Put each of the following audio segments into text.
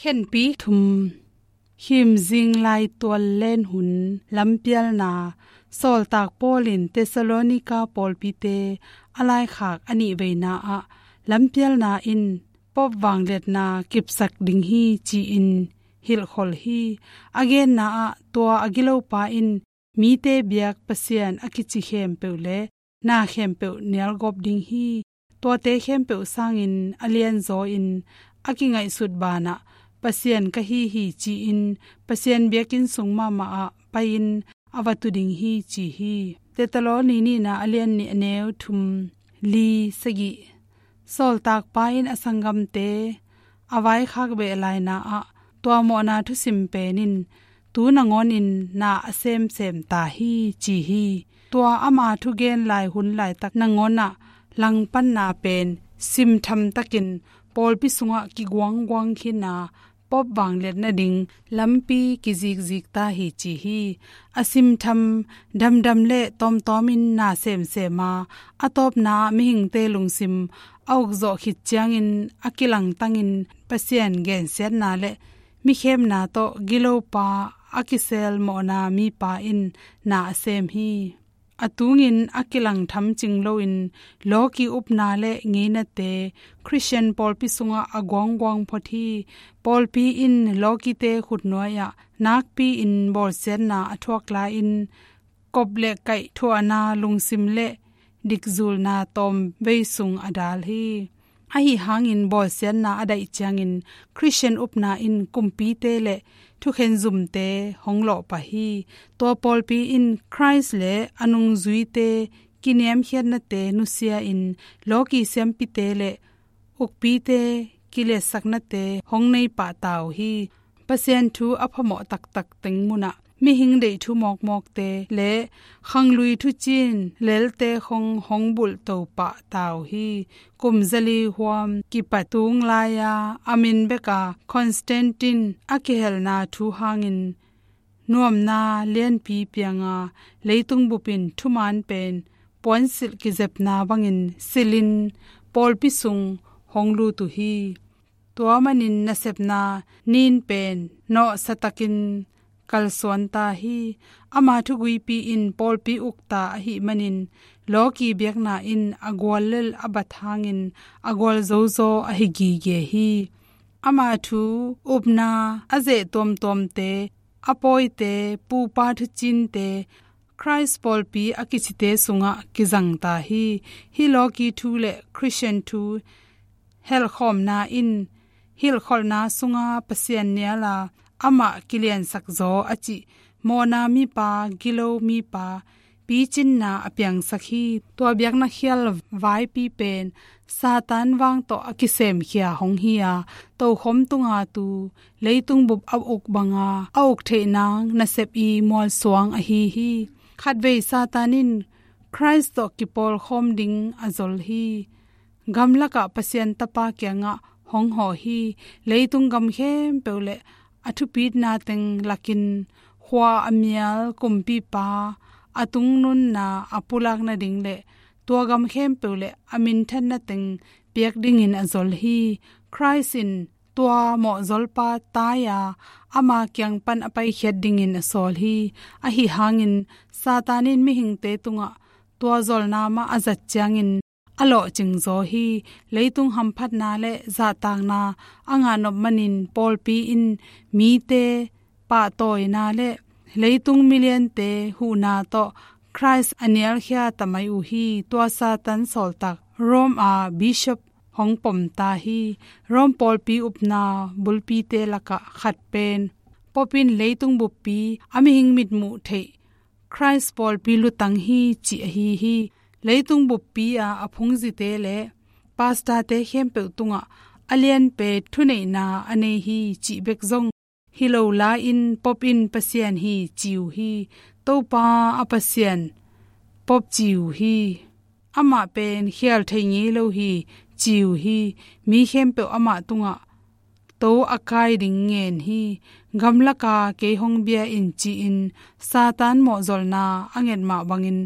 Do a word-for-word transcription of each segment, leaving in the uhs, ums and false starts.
Khenpi thum. Khimzing laitual len hun lampialna. Sawltak Paul in Thessalonika pawlpite a laikhak a nihveina ah lampialna in Pope vangliatna kipsak ding hi ci-in hilhkholh hi. A genna ah tua a gilopa in mite biak Pasian a kici khempeuh le na khempeuh nialgawp ding hi. Tuate khempeuh sangin a lianzaw in a kingaihsut banah Pasian ka hi hi ci-in Pasian biakinn sung mahmah ah pai-in a va tu ding hi ci hi. Thessaloni nihna a lian nih a neu thum li sagih. Sawltakpa in a sanggamte a vaikhak beh laina ah tua mawhna thusim pen in tu nangawn in na a semsem ta hi ci hi. Tua ama thugen lai hun laitak nangawn ah langpanna pen simtham takin pawlpi sungah kiguangguang khin a Pope vangliat nading lampi kizikzik ta hi ci hi. A simtham damdam le tawmtawm in na semsem a, a tawpna ah mihingte lungsim a ukzawh khit ciangin a kilangtangin Pasian gensiatna le mikhemna tawh gilopa a kisel mawhna mipa in na a sem hi. A tungin a kilang tham cing loin lawki upna le ngeinate Khristian pawlpi sungah a guangguang phot hi. Pawlpi in lawkite khutnuai ah nakpi-in bawlsiatna a thuak lai-in kop le kaih thuahna lungsim le dikzulna tawmvei sung a dal hi. Ahi hangin bawlsiatna a daih ciangin Khristian upna in kumpite le thukhenzumte hong lawhpah hi. Tua pawlpi in Khrist le a nungzuite kiniamkhiatnate nusia-in lawki siampite le ukpite kiliatsaknate hong nei pah ta uh hi. Pasian thu a phamawh taktak teng munah mihing deih thu mawkmawkte le khanglui thucin lelte khong hong bulhto pah ta uh hi. Kum zali huam kipat tung lai-a a min beka Constantine a kihelna thu hangin nuamna lianpi pianga leitung bupin thuman pen puansilh kizepna bangin silhin pawlpi sung hong lut uh hi. Tua manin nasepna nin pen nawhsatakin kalsuan ta hi. Ama thuguipi in pawlpi ukta ahih manin lawki biakna in a gual lel a bat hangin a gual zozaw ahi gige hi. Ama thu upna a zeh tuamtuamte, a pawite, pupa thucinte, Khrist pawlpi a kicite sungah kizang ta hi. Hih lawki thu le Khristian thu helhkhawmna in hilhkholhna sunga Pasian niala amah kiliansak zaw a cih mawhna mipa, gilo mipa, picinna a piangsak hi. Tua biakna khial vaipi pen Satan vang tawh a kisemkhia hong hi a, tokhom tunga tu leitung bup a uk banga a uk theih nang nasep i mualsuang ahi hi. Khatvei Satan in Khrist tawh kipawlkhawm ding a zol hi. Gamlakah Pasian Tapa kiangah hong hawh hi. Leitung gam khempeuh le a thupitna teng lakin khua a mial kumpipa a tungnunna a pulak nading le tua gam khempeuh le a minthanna teng piak dingin a zol hi. Khrist in tua mawhzolpa tai-a ama kiang pan a paikhiat dingin a sawl hi. Ahi hangin Satan in mihingte tungah tua zolna mah a zat ciangin a lawhcing zaw hi. Leitung hamphatna le zahtakna a ngahnop manin pawlpi in mite pahtawina le leitung miliante huhna tawh Khrist a nialkhia ta mai uh hi. Tua Satan sawltak Rome a bishop hong pom ta hi. Rome pawlpi upna bulpite lakah khat pen Pope in leitung buppi a mihing mitmuh theih Khrist pawlpi lutang hi cih ahi hi. Leitung buppi a a phungzite le pastorte khempeuh tungah a lianpe thuneihna a nei hi cih bek zong hi lo la-in Pope in Pasian hi ci uh hi. Topa a Pasian Pope ci uh hi. Amah pen khial thei ngei lo hi ci uh hi. Mi khempeuh amah tungah to a kai ding ngen hi. Gamlaka kei hong bia in ci-in Satan mawhzolna a nget mah bangin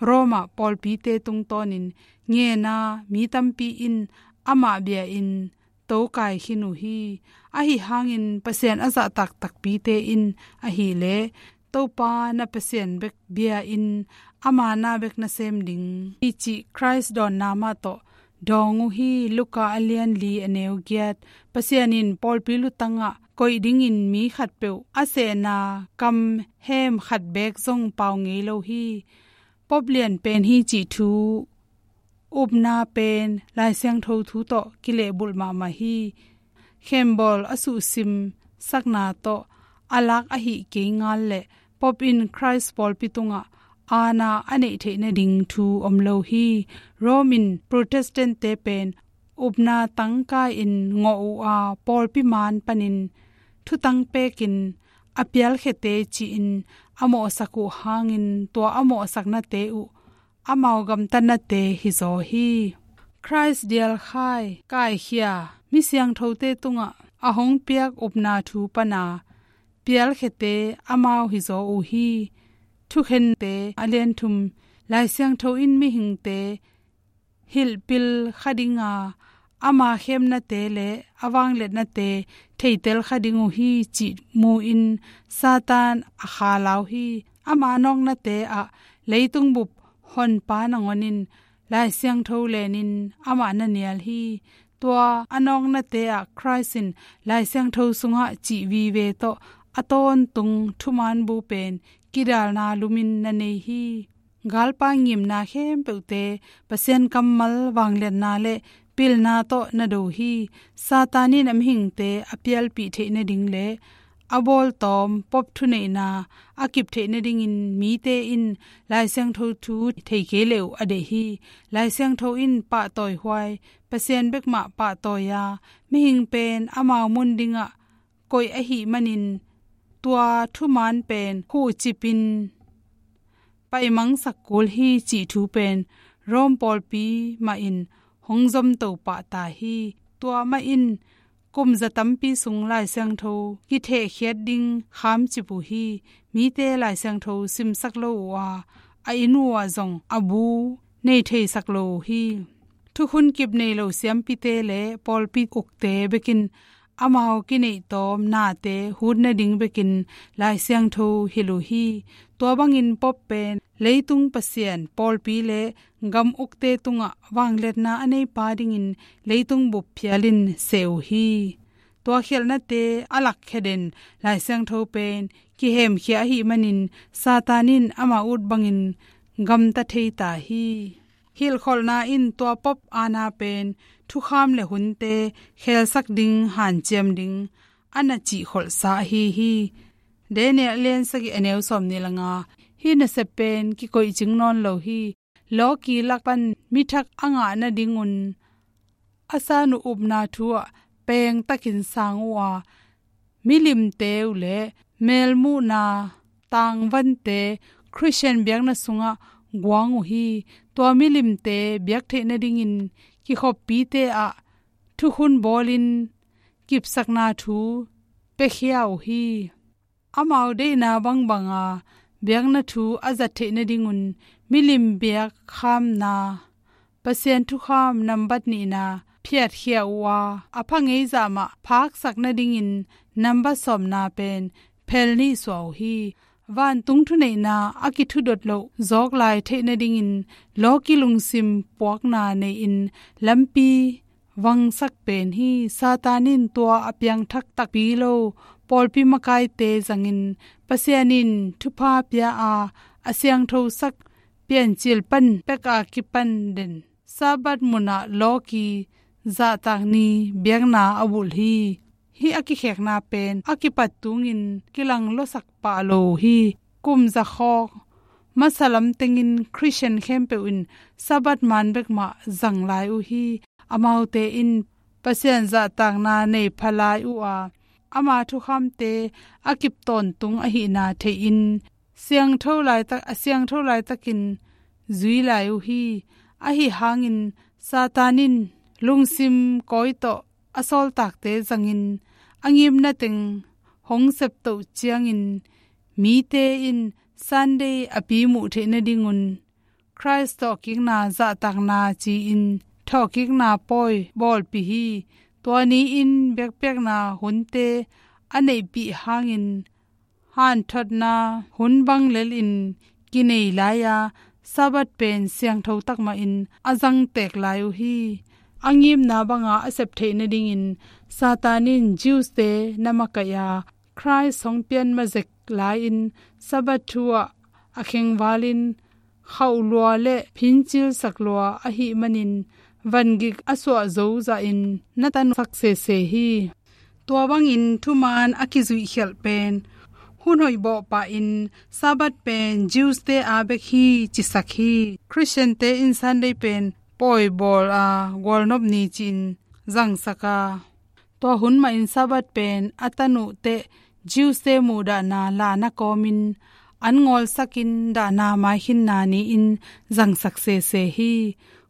Roma pawlpite tungtawnin ngena mi tampi in amah bia in tokai khin uh hi. Ahi hangin Pasian a zahtak takpite in ahileh Topa na Pasian bek bia-in ama na bek na sem ding hi cih Khrist dawnna mah tawh dawng uh hi. Luka a lian li a neu giat. Pasian in pawlpi lutangah koih dingin mi khatpeuh a sehna kam hem khat beek zong pau ngei lo hi. Pope lian pen hi cih thu upna pen Lai Siangtho thu tawh kilehbulh mahmah hi. Khembawl a suhsim sakna tawh a lak ahih kei ngal leh Pope in Khrist pawlpi tungah aana a neih theih nading thu om lo hi. Rome in Protestant-te pen upna tangka-in ngawh uh a, pawlpi maan panin thutang pekin a pialkhiate ci-in a mawhsak uh hangin tua a mawhsaknate uh amau gamtatnate hizaw hi. Khrist dialkhai kaikhia mi siangthote tungah a hong piak upna thu pana pialkhiate amau hizaw uh hi. Thukhente a lian thum. Lai Siangtho in mihingte hilhpil kha dinga, ama khemnate le a vangliatnate theitel kha ding uh hi cih mu-in Satan a khalau hi. Ama nawknate ah leitung bup honpa nangawn in Lai Siangtho lenin amah na nial hi. Tua a nawknate ah Khrist in Lai Siangtho sungah cih vive tawh a tawntung thuman bu pen kidalna lumin na nei hi. Galpa ngimna khempeuhte Pasian kammal vangliatna le pilna tawh na do hi. Satan in a mihingte a pialpih theih nading le a bawltawm Pope thuneihna a kip theih nadingin mite in Lai Siangtho thu thei kei leh uh a deih hi. Lai Siangtho in pahtawihuai, Pasian bekmah pahtawi-a mihing pen amau mun dingah koih ahih manin tua thuman pen khuhcipin paimangsak kul hi cih thu pen Rome pawlpi mah in hong zomto pah ta hi. Tua mah in kum za tampi sung Lai Siangtho kithehkhiat ding khamcip uh hi. Mite Lai Siangtho simsak lo uh a, a inn uh ah zong a bu nei theisak lo uh hi. Thukhun kip nei lo siampite le pawlpi ukte bekin amau kineih tawm nate hut nading bekin Lai Siangtho hilh uh hi. Tua bangin Pope pen leitung pasian, pawlpi le gam ukte tungah vangliatna a neipa dingin leitung bup phialin seh uh hi. Tua khialhnate a lakkhia den Lai Siangtho pen kihemkhia ahih manin Satan in ama ut bangin gamta thei ta hi. Hilhkholhna in tua Pope aana pen thukham le hunte khelsak ding, hanciam ding a na cihkholhsa ahi hi. Daniel a lian sagih a neu sawmnih le nga. Hih nasep pen kikoihcing nawn lo hi. Lawki lak pan mithak a ngah nadingun a san uh upna thu ah pengtakin sang uh a, milimte uh le melmuhna tangvante Khristian biakna sungah guang uh hi. Tua milimte biak theih nadingin kikhoppite ah thukhun bawlin kipsakna thu piakhia uh hi. Amau deihna bangbanga biakna thu a zat theih nadingun milim biak khamna, Pasian thukham nambat nihna phiatkhia uh a, a pha ngeizah mah phaksak nadingin nambat sawmna pen phel nih suah uh hi. Vantung thuneihna a kithudot loh zawk lai theih nadingin lawki lungsim puakna nei-in lampi vangsak pen hi. Satan in tua a piangthak takpi lo pawlpi makaite zangin Pasian in thupha pia a, a siangthosak Piancil pan pek a kipan den Sabbath munah lawki zahtak ni biakna a bulh hi. Hih a kikhekna pen a kipat tungin kilang luasak pah lo uh hi. Kum za khawk masa lam tengin Khristian khempeuh in Sabbath man bekmah zang lai uh hi. Amaute in Pasian zahtakna nei pha lai uh a, ama thukhamte a kip tawntung ahihna theihin siangtho laitak, a siangtho laitakin zui lai uh hi. Ahi hangin Satan in lungsim kawi tawh a sawltakte zangin a ngimna teng hong septoh ciangin mite in Sunday a pi muh theih nadingun Khrist thawhkikna zahtakna ci-in thawhkikna pawi bawlpih hi. Tua ni-in biakpiakna hunte a neihpih hangin hanthotna hun bang lelin kinei lai-a, Sabbath pen siangtho takmahin a zangtek lai uh hi. A ngimna banga a sep theih nadingin Satan in Jews-te na makaih a, Khrist hong pian mazek lai-in Sabbath thu ah a khengvalin khauh lua le phincilsak lua ahih manin vangik a suah zo zahin na tansak sese hi. Tua bangin thuman a kizuihkhialh pen hun hoih bawh pahin Sabbath pen Jews-te a bek hi cisak hi. Khristiante in Sunday pen pawi bawl a gualnop ni ci-in zangsak a, tua hun mahin Sabbath pen a tan uh teh Jews-te muhdahna lahna kawmin an ngawlsakin dahna maikhinna ni-in zangsak sese hi.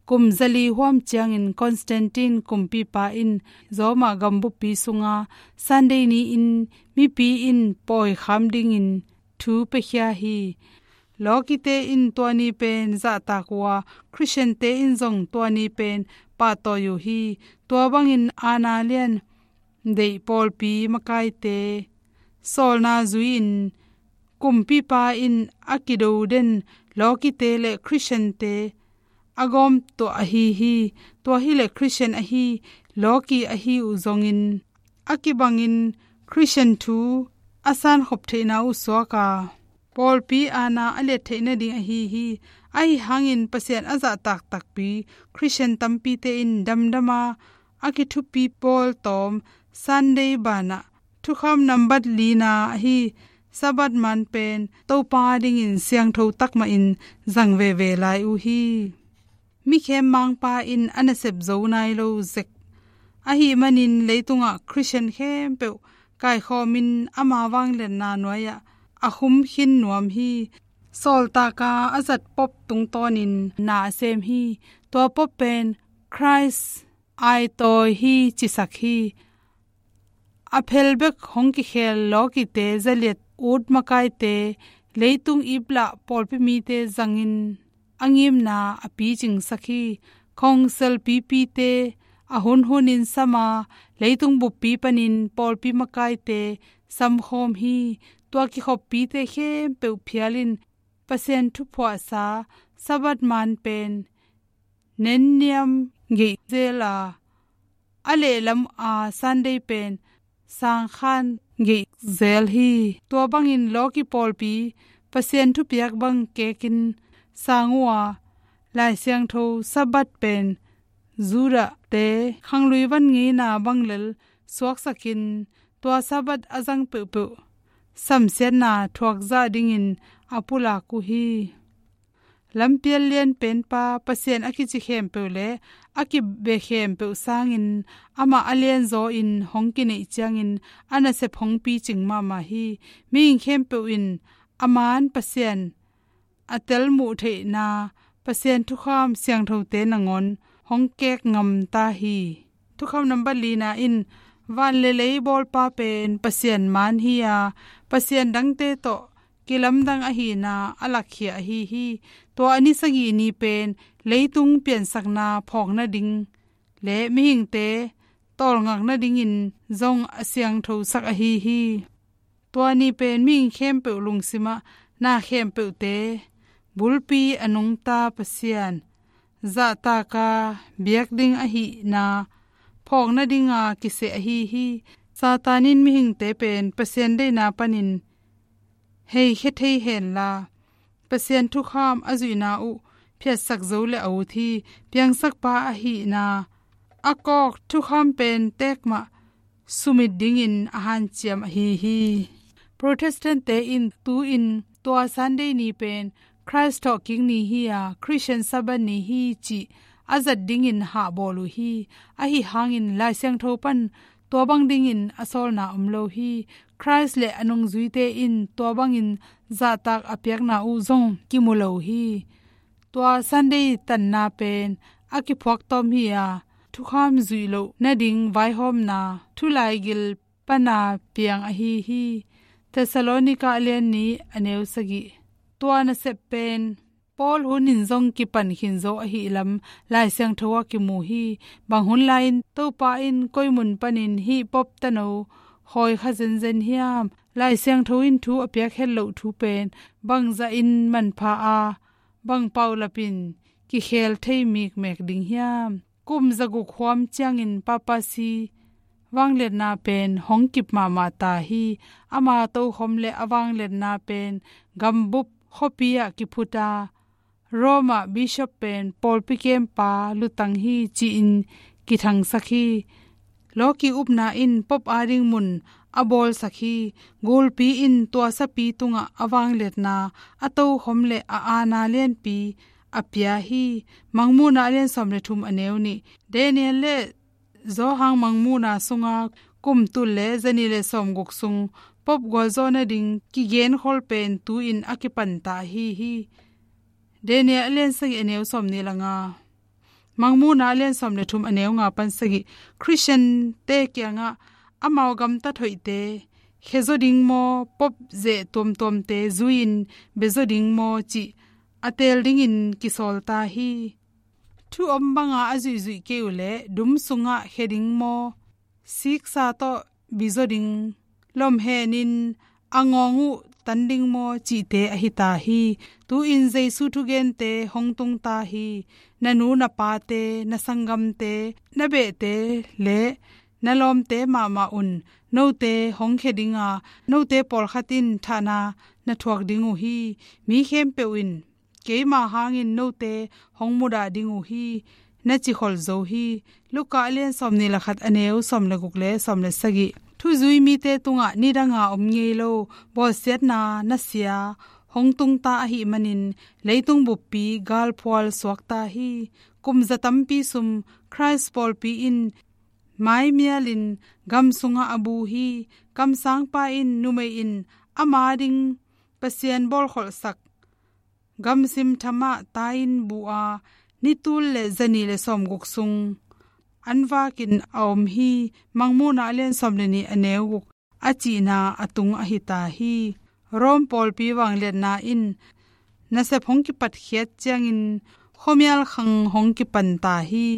Kum zali huam ciangin Constantine kumpipa in Roma gambuppi sunga Sunday ni-in mipi in pawi kham dingin thu piakhia hi. Lawkite in tua ni pen zahtak uh a, Khristiante in zong tua ni pen pahtawi uh hi. Tua bangin aana lian deih pawlpi makaite sawlna zui-in kumpipa in a kido den lawkite le Khristiante a gawm tuah ahi hi. Tua hileh Khristian ahi, lawki ahi uh zongin a kibangin Khristian thu a sankhop theihna uh suak a, pawlpi aana a liat theih nading ahi hi. Ahi hangin Pasian a zahtak takpi Khristian tampite in damdama a kithupi pawl tawm Sunday banah thukham nambat lina ahi Sabbath man pen Topa dingin siangtho takmahin zang veve lai uh hi. Mikhem mangpa in a nasep zo nai lo zek ahih manin leitungah Khristian khempeuh kaikhawmin ama vangliatna nuai-ah a khum khin nuam hi. Sawltaka a zat Pope tungtawnin na a sem hi. Tua Pope pen Khrist aitawi hi cisak hi. A phel bek hong kikhel lawkite zaliat ut makaite leitung iplah pawlpi mite zangin a ngimna a picingsak hi. Khawngsel pipite a hunhunin sama leitung buppi panin pawlpi makaite samkhawm hi. Tua kikhoppite khempeuh phialin Pasian thuphuahsa Sabbath man pen nenniam geih zel a, a lehlam a Sunday pen sangkhan geih zel hi. Tua bangin lawki pawlpi Pasian thupiak bang kekin sang uh a, Lai Siangtho Sabbath pen Judah-te khanglui van ngeina bang lel suaksakin tua Sabbath a zang peuhpeuh samsiatna thuakzah dingin a pulak uh hi. Lampial lianpenpa Pasian a kici khempeuh le a kibe khempeuh sangin amah a lianzaw in hong kineih ciangin a nasep hong picing mahmah hi. Mihing khempeuh in a man Pasian a telmuh theihna Pasian thukham siangthote nangawn hong kek ngamta hi. Thukham nambat lina in van le lei bawlpa pen Pasian man hi a, pasian dangte tawh kilamdang ahihna a lakkhia ahi hi. Tua a ni sagih ni pen leitung piansakna phawk nading le mihingte tawlngak nadingin zong a siangthosak ahi hi. Tua ni pen mihing khempeuh lungsimah na khempeuhte bulpi a nungta Pasian zahtaka biak ding ahihna phawk nadinga kiseh ahi hi. Satan in mihingte pen Pasian deihna panin heikhia thei henla, Pasian thukham a zuihna uh phiatsak zo le a ut hi. Piangsakpa ahihna a kawk thukham pen tekmah sumit dingin a hanciam ahi hi. Protestant-te in tu-in tua Sunday ni pen Khrist thawhkik ni hi a, Khristian Sabbath ni hi cih a zat dingin hahbawl uh hi. Ahi hangin Lai Siangtho pan tua bang dingin a sawlna om lo hi. Khrist le a nungzuite in tua bangin zahtak a piakna uh zong kimu lo hi. Tua Sunday tanna pen a kiphuaktawm hi a, thukham zuih loh nading vaihawmna thulaigil pana piang ahi hi. Thessalonika a lian nih a neu sagih. Tua nasep pen pawl hun in zong kipan khin zo ahih lam Lai Siangtho ah kimu hi. Bang hun lai-in Topa in koi mun panin hih Pope tano hawi kha zenzen hiam? Lai Siangtho in thu a piak het loh thu pen bangzah in manpha a, bang paulap in kikhel thei mikmek ding hiam? Kum zaguk huam ciangin papacy vangliatna pen hong kip mahmah ta hi. Ama tokhom le a vangliatna pen gambup khuapi ah kiphut a, Rome ah bishop pen pawlpi kempa lutang hi ci-in kithangsak hi. Lawki upna in Pope ading mun a bawlsak hi. Gulpi in tua sapi tungah a vangliatna, a tokhom le a aana lianpi a pia hi. Mangmuhna a lian sawm le thum a neu nih. Daniel le Johan Mangmuhna sunga kum tul le zanih le sawmguk sung Pope gualzawh nading kigenkhol pen tu-in a kipanta ahi hi. Daniel a lian sagih a neu sawmnih le nga, Mangmuhna a lian sawm le thum a neu nga pan sagih. Khristiante kiangah amau gamtat hoihte khezaw ding maw, Pope zeh tuamtuamte zui-in bezaw ding maw cih a teel dingin kisawlta hi. Thu om banga a zuihzuih kei uh leh dum sungah khe ding maw, siksa tawh bizaw ding, lomhenin a ngawng uh tan ding maw cihte ahi ta hi. Tu-in Jesu thugente hong tungta hi. Na nu na pate, na sanggamte, na behte le na lawmte mahmah un note hong khe dinga, note pawlkhat in thahna na thuak ding uh hi. Mi khempeuh in keima hangin note hong mudah ding uh hi, na ci khol zo hi. Luka a lian sawmnih le khat a neu sawm le guk le sawm le sagih. Thuzui mite tungah nidanga om ngei lo bawlsiatna nasia hong tungta ahih manin leitung buppi galphual suakta hi. Kum za tampi sum Khrist pawlpi in maimialin gam sungah a bu hi. Kamsangpa in numei in ama ding Pasian bawlkholhsak gamsim thamah tai-in bu a, ni tul le zanih le sawmguk sung an vakin a om hi. Mangmuhna a lian sawm le nih a neu guk a cihna a tung ahi ta hi. Rome pawlpi vangliatna in nasep hong kipatkhiat ciangin khuamial khang hong kipan ta hi.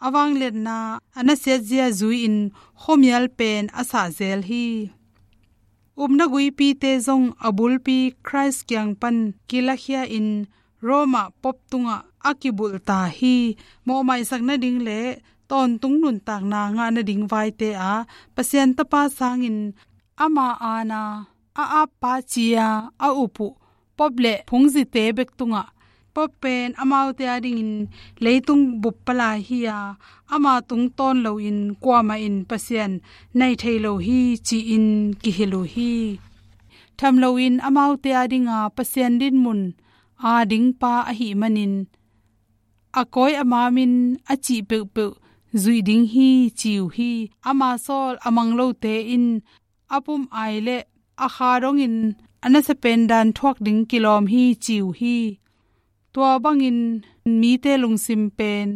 A vangliatna a nasiatzia zui-in khuamial pen a sahzel hi. Upna guipite zong a bulpi Khrist kiang pan kilakhia-in Rome ah Pope tungah a kibulh ta hi. Mawhmaisak nading le tawntung nuntakna ngah nading vaite ah Pasian Tapa sangin ama aana a appa ci-a a up uh Pope le phungzite bek tungah Pope pen amaute adingin leitung bup palai hi-a, ama tungtawn loin kuamah in Pasian nai thei lo hi ci-in kihilh uh hi. Tham loin amaute adinga Pasian dinmun a dingpa ahih manin a kawi a mamin a cih peuhpeuh zuih ding hi ci uh hi. Ama sawl a mang lote in a pum ai le a kha dongin a nasia pen dan thuak ding kilawm hi ci uh hi. Tua bangin mite lungsim pen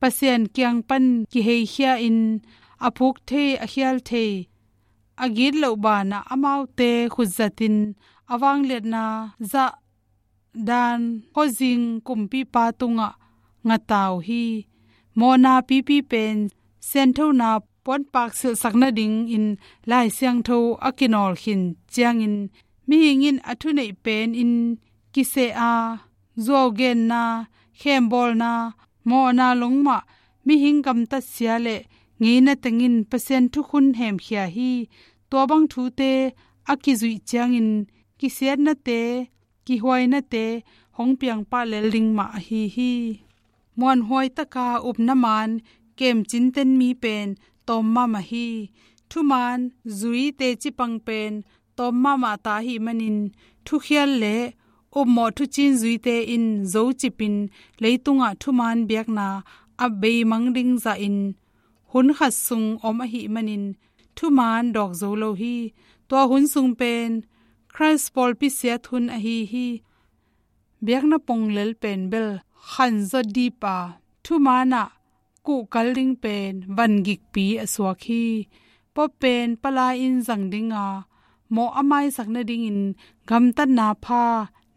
Pasian kiang pan kiheikhia-in a phuk thei, a khial thei, a gitloh banah amaute khutzatin a vangliatna zah dan khuazing kumpipa tungah ngata uh hi. Mawhna pipi pen sianthona puanpak silhsak nadingin Lai Siangtho a kinawlkhin ciangin mihing in a thuneih penin kiseh a, zuaugenna, khembawlna, mawhna lungmah, mihing gamtatsia le ngeina tengin Pasian thukhun hemkhia hi. Tua bang thute a kizuih ciangin kisiatnate, kihuainate hong piangpah lel ding mah ahi hi. Muanhuai taka upna maan kemcinten mi pen tawm mahmah hi. Thumaan zui teci pang pen tawm mahmah ta ahih manin thukhial le upmawh thucin zuite in zocipin leitungah thumaan biakna a beimang ding zahin hun khat sung om ahih manin thumaan dawk zo lo hi. Tua hun sung pen Khrist pawlpi siat hun ahi hi. Biakna ponglel pen bel khanzaw dip a, thumaan ah kuhkal ding pen vangikpi a suak hi. Pope pen palai in zang dinga mawh a maisak nadingin gamtatna pha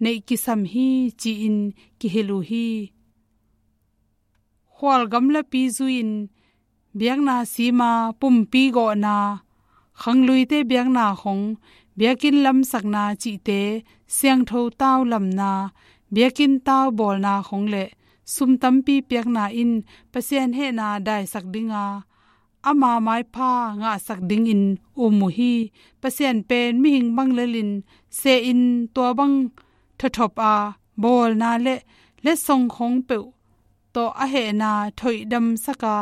neih kisam hi ci-in kihilh uh hi. Khual gamlapi zui-in biakna sima, pumpi gawhna, khangluite biakna khong, biakinn lamsakna cihte, siangtho tau lamna, biakinn tau bawlna khong le sum tampi piakna in Pasian hehna daisak dinga, ama maipha ngahsak dingin um uh hi. Pasian pen mihing bang lelin sehin tua bang thawthop a, bawlna le letsong khong peuh tawh a hehna thoihdamsak a,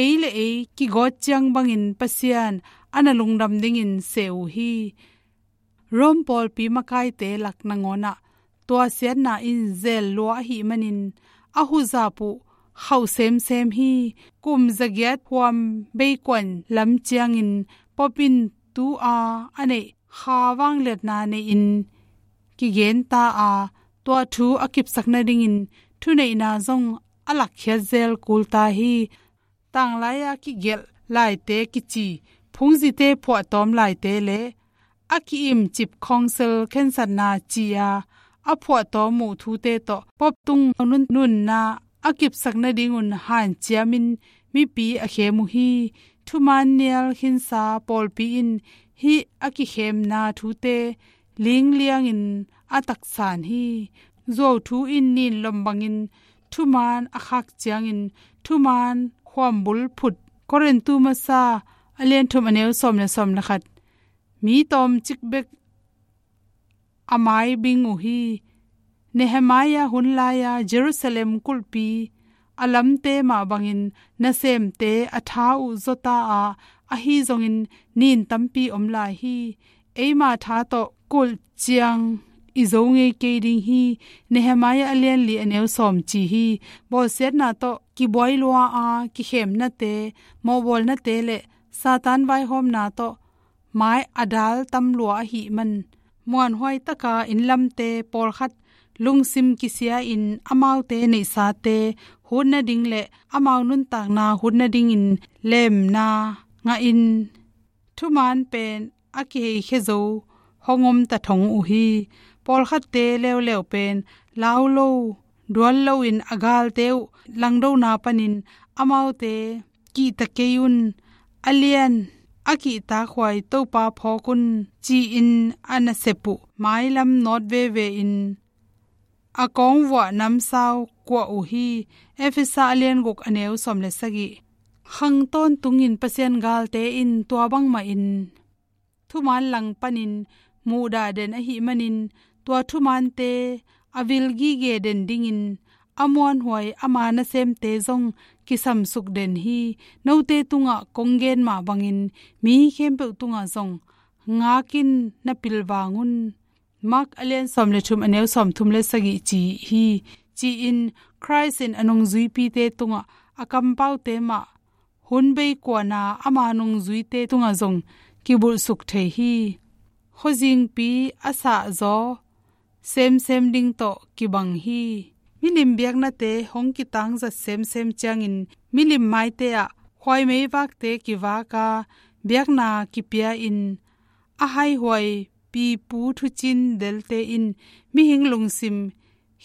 ei le ei kigawt ciang bangin Pasian a na lungdam dingin seh uh hi. Rome pawlpi makaite lak nangawnah tua siatna in zel lua ahih manin a huzap uh khauh semsem hi. Kum zagiat huam beikuan lam ciangin Pope in tu-a a neih kha vangliatna nei-in kigenta a, tua thu a kipsak nadingin thuneihna zong a lakkhiat zel kul ta hi. Tanglai-a kigelh laite kici, phungzite phuahtawm laite le a ki-imcip khawngsel khensatna ci-a a phuahtawm uh thute tawh Pope tung nun, nunna a kipsak nadingun hanciamin mipi a khem uh hi. Thuman nial khinsa pawlpi in hih a kikhemna thute lingliangin a taksan hi. Zuauthu in nin lom bangin thuman a khak ciangin thuman khuambul phut. Korintu masa a lian thum a neu sawm le sawm le khat. Mi tawmcik bek a mai bing uh hi. Nehemiah hun lai-a Jerusalem kulhpi a lamte mah bangin nasemte a tha uh zawta a, ahi zongin nin tampi om lai hi. Eima tha tawh kulh ciang i zo ngei kei ding hi. Nehemiah a lian li a neu sawm ci hi. Bawlsiatna tawh kibuai lua a, kikhemnate, mawhbawlnate le Satan vaihawmna tawh mai a dal tam lua ahih man, muanhuai taka innlamte pawlkhat lungsim kisia-in amaute neihsate hut nading le amau nuntakna hut nadingin lemna ngahin thuman pen a kiheikhia zo hong om ta thong uh hi. Pawlkhatte leuleu pen lau lo, dual loin a galte uh langdona panin amaute kihta kei un, a lian a kihtakhuai Topa phawk un ci-in a nasep uh mailam nawt veve in a kawngvuah namsau kuah uh hi. Efesa a lian guk a neu sawm le sagih. Khang tawntungin Pasian galte in tua bangmahin thuman lang panin muhdah den ahih manin, tua thumante a vil gige den dingin a muanhuai ama nasemte zong kisamsuk den hi. Note tungah kong gen mah bangin mi khempeuh tungah zong ngakin na pilvang un. Mark a lian sawm le thum a neu sawm thum le sagih ci hi. Ci-in Khrist in a nungzuipite tungah a kampaute mah hun beikuana ama nungzuite tungah zong kibulhsuk thei hi. Khuazingpi a sahzaw semsem ding tawh kibang hi. Milim biaknate hong kitangzat semsem ciangin milim maite ah khuaimeivakte kivaka biakna kipia-in a haihuai pipu thucin delte in mihing lungsim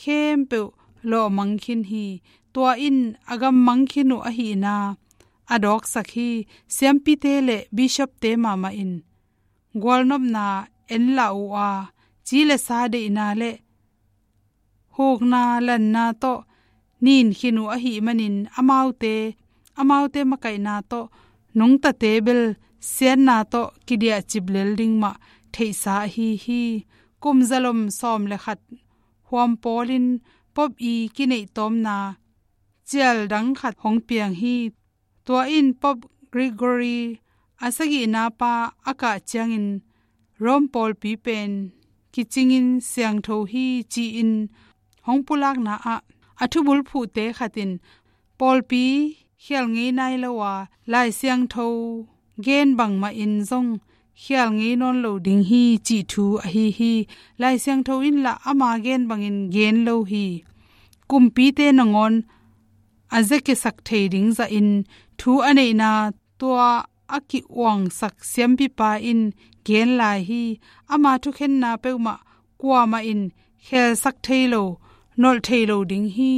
khempeuh lawhmang khin hi. Tua in a gammang khin uh ahihna a dawksak hi. Siampite le bishopte mahmah in gualnopna enlah uh a, ci le sa deihna le hukna lanna tawh nin khin uh ahih manin amaute, amaute makaihna tawh nungtate bel siatna tawh kidiahcip lel ding mah theihsa ahi hi. Kum zalom sawm le khat huam pawlin Pope i kineih tawmna cial dang khat hong piang hi. Tua in Pope Gregory a sagihna pa a kah ciangin Rome pawlpi pen kicingin siangtho hi ci-in hong pulakna ah a thubulphuhte khat in pawlpi khial ngei nai lo a, Lai Siangtho gen bangmahin zong khial ngei nawn lo ding hi cih thu ahi hi. Lai Siangtho in lah ama gen bangin gen lo hi. Kumpite nangawn a zekiasak thei ding zahin thu a neihna tua a ki-uangsak siampipa in gen lai hi. Ama thukhenna peuhmah kuamah in khelsak thei lo, nolh thei lo ding hi.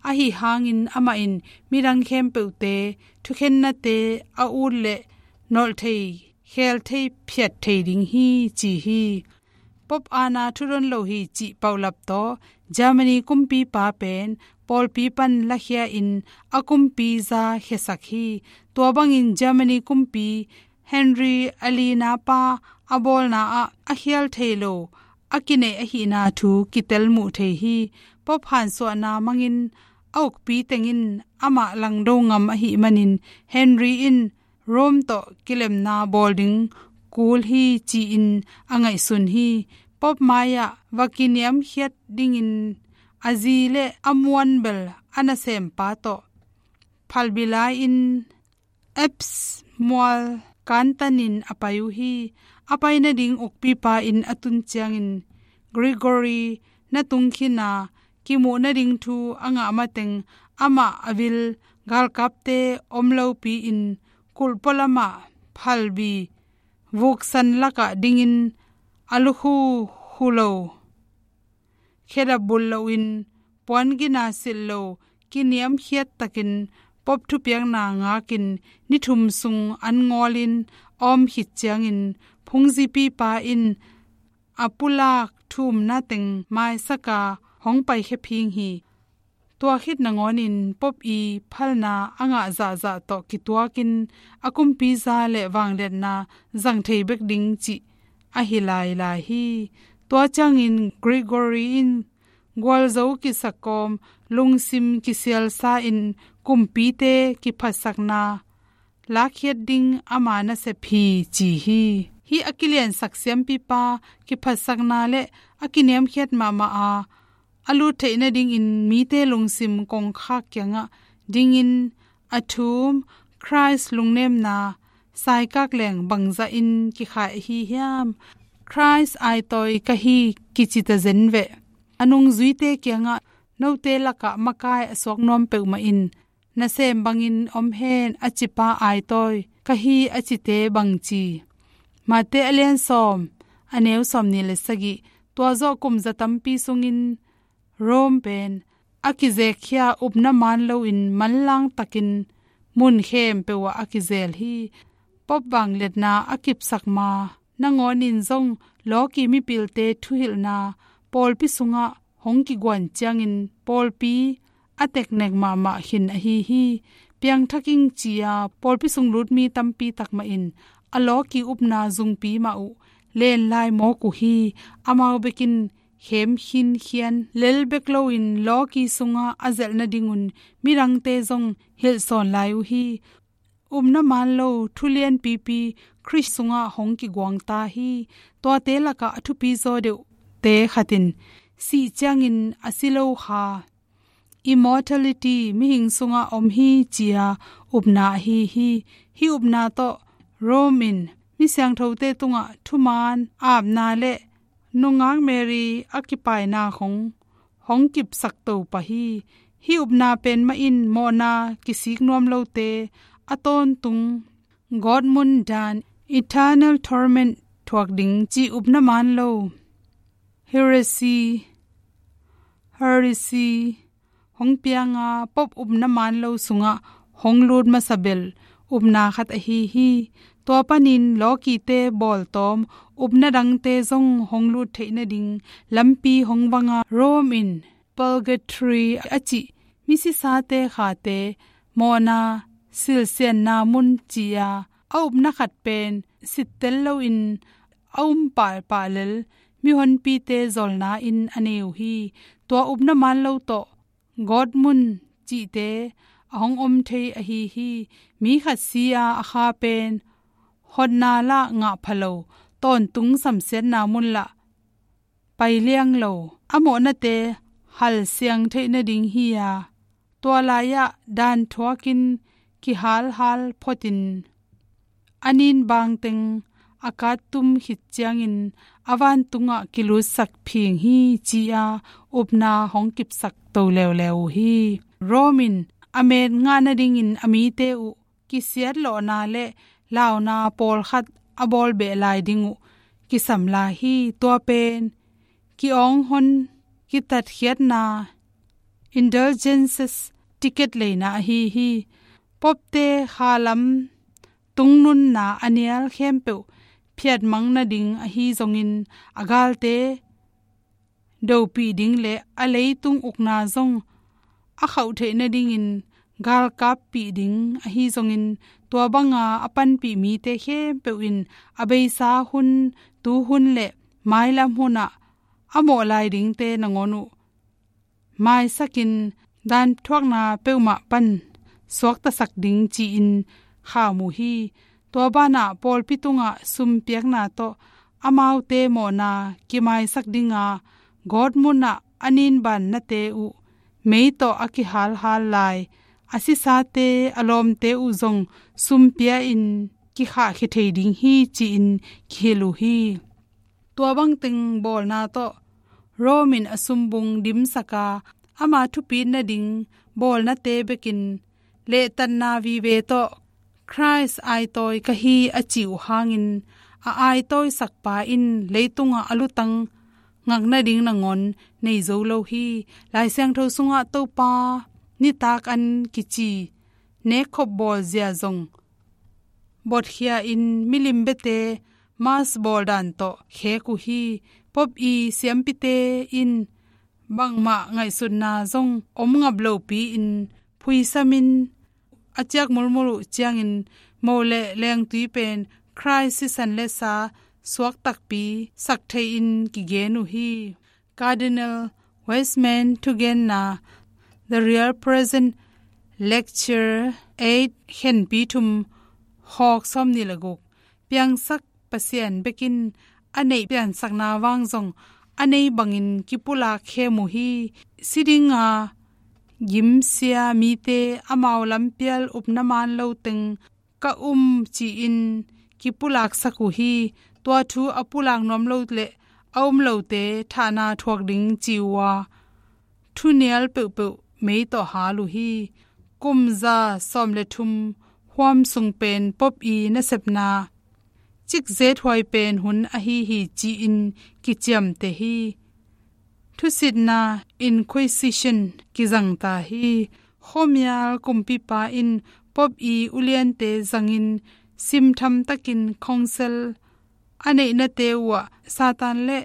Ahi hangin amah in midang khempeuhte thukhennate a ut leh nolh thei, khel thei phiat thei ding hi, ci hi. Pope aana thudon lo hi cih paulap tawh Germany kumpipa pen pawlpi pan lakhia in a kumpi za khiasak hi. Tua bangin Germany kumpi Henry a lina pa a bawlna ah a khial thei lo a kineih ahihna thu kitel muh thei hi. Pope hansuahna mangin a ukpi teng in amah langdo ngam ahih manin Henry in Rome tawh kilemna bawl ding kul hi ci-in a ngaihsun hi. Pope mai-ah va kiniamkhiat dingin a zi le a muanbel a nasempa tawh phalbi lai-in Alps mual kantanin a pai uh hi. A pai nading ukpipa inn a tun ciangin Gregory na tung khin a, kimuh nading thu a ngah mateng amah a vil galkapte om lopi-in kulh pualamah phalbi vuksan lakah dingin a lukhu khu lo, khedap bulh loin puan gina silh lo, kiniamkhiat takin Pope thupiakna ngakin ni thum sung an ngawlin a om khit ciangin phungzipipa in a pulak thumna teng maisaka hong paikhia phing hi. Tua khit nangawnin Pope i phalna a ngah zahzah tawh kituakin a kumpi za le vangliatna zang thei bek ding cih a hi lailai hi. Tua ciangin Gregory in gualzo kisakawm, lungsim kisialsa in kumpite kiphatsakna lakkhiat ding ama nasep hi ci hi. Hih a kiliansak siampipa kiphatsakna le a kiniamkhiat mahmah a a lut theih nadingin mite lungsim kongkhak kiangah dingin a thum Khrist lungnemna saikak leng bangzahin kikhai ahi hiam? Khrist aitawi ka hi kici ta zen veh. A nungzuite kiangah note lakah makai a suak nuam peuhmah in nasem bangin om hen a cipa aitawi ka hi a cite bangci. Mate a lian sawm, a neu sawmnih le sagih. Tua zawh kum za tampi sungin Rome pen a kizekkhia, upna man loin manlang takin mun khempeuh ah a kizel hi. Pope vangliatna a kipsak ma nangawnin zong lawki mipilte thuhilhna pawlpi sungah hong kiguan ciangin pawlpi a teknek mahmah khin ahi hi. Piangthak ing ci-a pawlpi sung lutmi tampi takmah in a lawki upna zungpi mah uh lenlai mawk uh hi. Amau bekin khem khinkhian lel bek loin lawki sungah a zelh nadingun midangte zong hilhsawn lai uh hi. Upna man lo thu lianpipi Khrist sungah hong kiguang ta hi. Tuate lakah a thupi zaw deuhte khat in sih ciangin a si lo kha, immortality, mihing sungah om hi ci-a upna ahi hi. Hih upna tawh Rome in mi siangthote tungah thuman apna le nungak Mary a kipaina khong hong kipsak to pah hi. Hih upna pen mah in mawhna kisik nuam lote a tawntung gawtmun dan, eternal torment, thuak ding cih upna man lo heresy, heresy hong pianga Pope upna man lo sungah hong lut masa bel upna khat ahi hi. Tua panin lawkite bawltawm upna dangte zong hong lut theih nading lampi hong vanga Rome in purgatory a cih misisate khate mawhna silsianna mun ci-a a upna khat pen sittel loin a um pahpah lel mihonpite zolna in a nei uh hi. Tua upna man lo tawh gawtmun cihte a hong om thei ahi hi. Mi khat si-a a kha pen hotna lah ngah pha lo, tawntung samsiatna mun lah pai liang lo, a mawhnate halsiang theih nading hi-a tua lai-ah dan thuakin kihalhal photin a nin bangteng a kattum khit ciangin a vantungah kilutsak phing hi ci-a upna hong kipsak to leuleu uh hi. Rome in a met ngah nadingin a mite uh kisiatlawhna le launa pawlkhat a bawl beh lai ding uh kisam lai hi. Tua pen ki-awng hon kitatkhiatna, indulgences, ticket leina ahi hi. Popte khalam tungnunna a nial khempeuh phiatmang nading ahi zongin, a galte dopih ding le a leitung ukna zong a khauh theih nadingin galkappih ding ahi zongin, tua banga a panpih mite khempeuh in a beisa hun, tuhun le mailam hunah a mawh lai dingte nangawn uh maisakin, dan thuakna peuhmah pan suaktasak ding ci-in kham uh hi. Tua banah pawlpi tungah sumpiakna tawh amaute mawhna kimaisak dinga, gawtmunah a ninbannate uh mei tawh a kihalhal lai, a sisate, a lawmte uh zong sumpia-in kikhahkhia thei ding hi, ci-in kihilh uh hi. Tua bangteng bawlna tawh Rome in a sumbung dimsaka, ama thupit nading bawlnate bekin lehtatna vive tawh Khrist aitawi ka hi a cih uh hangin, a aitawisakpa in leitungah a lutang ngak nading nangawn nei zo lo hi. Lai Siangtho sungah Topa nitak an kici nekkhop bawlzia zong botkhia-in milim biate Mass bawldan tawh khek uh hi. Pope i siampite in bangmah ngaihsutna zong om ngap lopi-in phuisamin a ciak mulmul uh ciangin, mo le lengtui pen Khrist sisan le sa suak takpi sak thei-in kigen uh hi. Cardinal Wiseman thugenna The Real Presence, Lecture eight, khenpi thum, khawk sawmnih le guk. Piangsak Pasian bekin a neih piansakna vang zong a nei bangin kipulak khem uh hi. Si dinga gimsia mite amau lampial upna man lo teng ka um ci-in kipulaksak uh hi. Tua thu a pulak nuam lo le a um lote thahna thuak ding ci uh a, thunial peuhpeuh mei tawh hal uh hi. Kum za sawm le thum huam sung pen Pope i nasepna cikzethuai pen hun ahi hi, ci-in kiciamteh hi. Thusitna Inquisition kizangta hi. Khuamial kumpipa in Pope i uliante zangin simtham takin council a neihnate uhah Satan le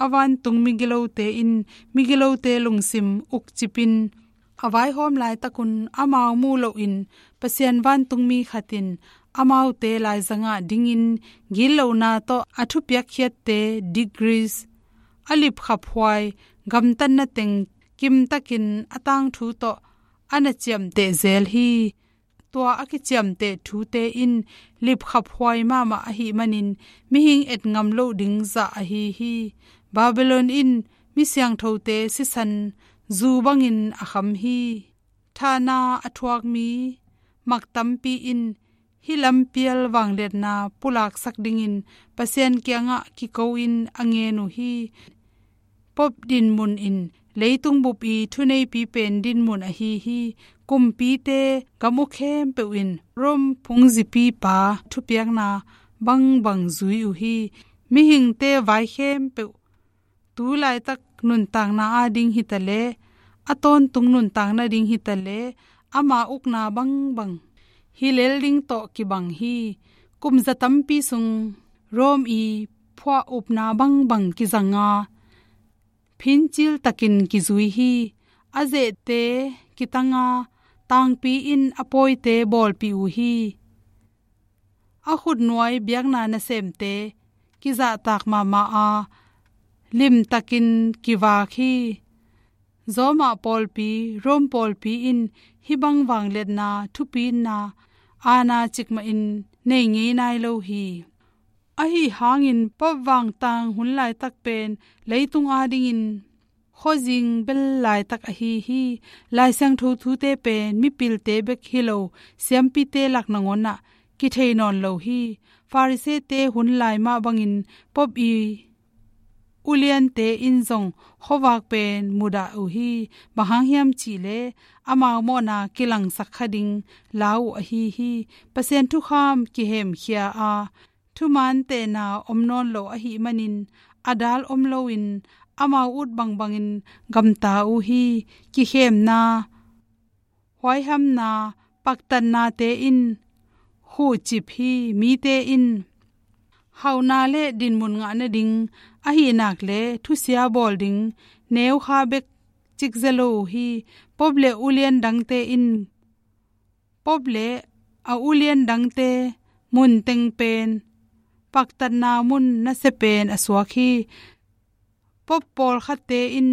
a vantung migilote in migilote lungsim ukcipin a vaihawm laitakun amau muh lohin Pasian vantungmi khat in amaute laizangah dingin gitlohna tawh a thupiakkhiatte degrees a lipkhaphuai gamtatna teng kimtakin a tangthu tawh a na ciamteh zel hi. Tua a kiciamteh thute in lipkhaphuai mahmah ahih manin mihing et ngam loh ding zah ahi hi. Babylon in mi siangthote sisan zu bangin a kham hi. Thahna a thuak mi mak tampi in hih lampial vangliatna pulaksak dingin Pasian kiangah kiko-in a ngen uh hi. Pope dinmun in leitung bup i thuneipi pen dinmun ahi hi. Kumpite gam uh khempeuh in Rome phungzipipa thupiakna bangbang zui uh hi. Mihingte vai khempeuh tu laitak nuntakna ading hitaleh, a tawntung nuntakna ding hitaleh, ama ukna bangbang hi lel ding tawh kibang hi. Kum za tampi sung Rome i phuah upna bangbang kizanga, phincil takin kizui hi. A zehte kitanga tangpi in a pawite bawlpih uh hi. A khutnuai biakna nasemte kizahtak mahmah a, limtakin kivak hi. Roma pawlpi, Rome pawlpi in hih bang vangliatna thupitna aana cikmahin nei ngei nai lo hi. Ahi hangin Pope vangtang hun laitak pen leitung adingin khuazing bel laitak ahi hi. Lai Siangtho thute pen mipilte bek hi lo, siampite lak nangawnah kithei nawn lo hi. Farisee-te hun lai mah bangin Pope i uliante in zong khuavak pen mudah uh hi. Bang hang hiam cihleh amau mawhna kilangsak kha ding lau uh ahi hi. Pasian thukham kihemkhia a, thuman tehna om nawn lo ahih manin a dal om loin amau ut bangbangin gamta uh hi. Kikhemna, huaihamna, paktatnate in khuhcip hi. Mite in hauhna le dinmun ngah nading, ahih nak le thusia bawl ding neukha bek cikzia lo uh hi. Pope le ulian dangte in, Pope le a ulian dangte mun teng pen, paktatna mun nasia pen a suak hi. Pope pawlkhatte in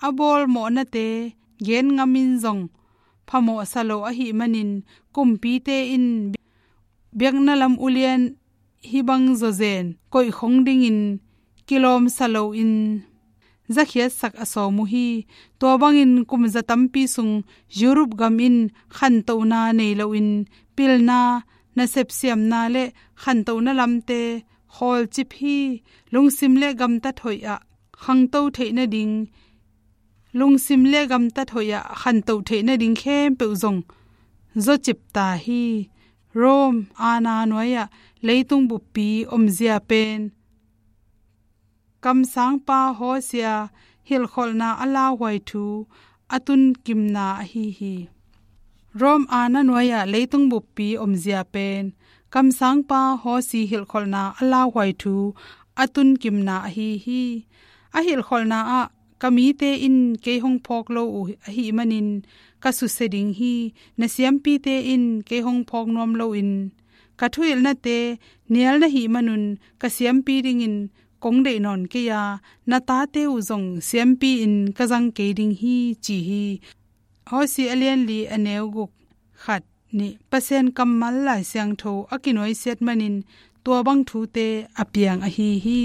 a bawl mawhnate gen ngamin zong phamawhsa lo ahih manin, kumpite in biakna lam ulian hih bang zawzen koihkhong dingin kilawmsa loin zakhiatsak a sawm uh hi. Tua bangin kum za tampi sung Europe gam in khantohna nei loin pilna, nasep siamna le khantohna lamte khawlcip hi. Lungsim le gamtat hoih ah khangto theih nading, lungsim le gamtat hoih ah khanto theih nading khempeuh zong zawcip ta hi. Rome aana nuai-ah leitung buppi omzia pen kamsangpa Hosea hilhkholhna a lauhuai thu a tunkimna ahi hi. Rome aana nuai-ah leitung buppi omzia pen kamsangpa Hosea hilhkholhna a lauhuai thu a tunkimna ahi hi. A hilhkholhna ah, ka mite in kei hong phawk lo uh ahih manin ka susia ding hi. Na siampite in kei hong phawk nuam loin ka thuhilhnate nial na hih manun ka siampi dingin kong deih nawn kei a, na tate uh zong siampi-in ka zang kei ding hi, ci hi. Hosea a lianli a neu guk, khat, nih. Pasian kammal Lai Siangtho a kinuaisiat manin tua bang thute a piang ahi hi.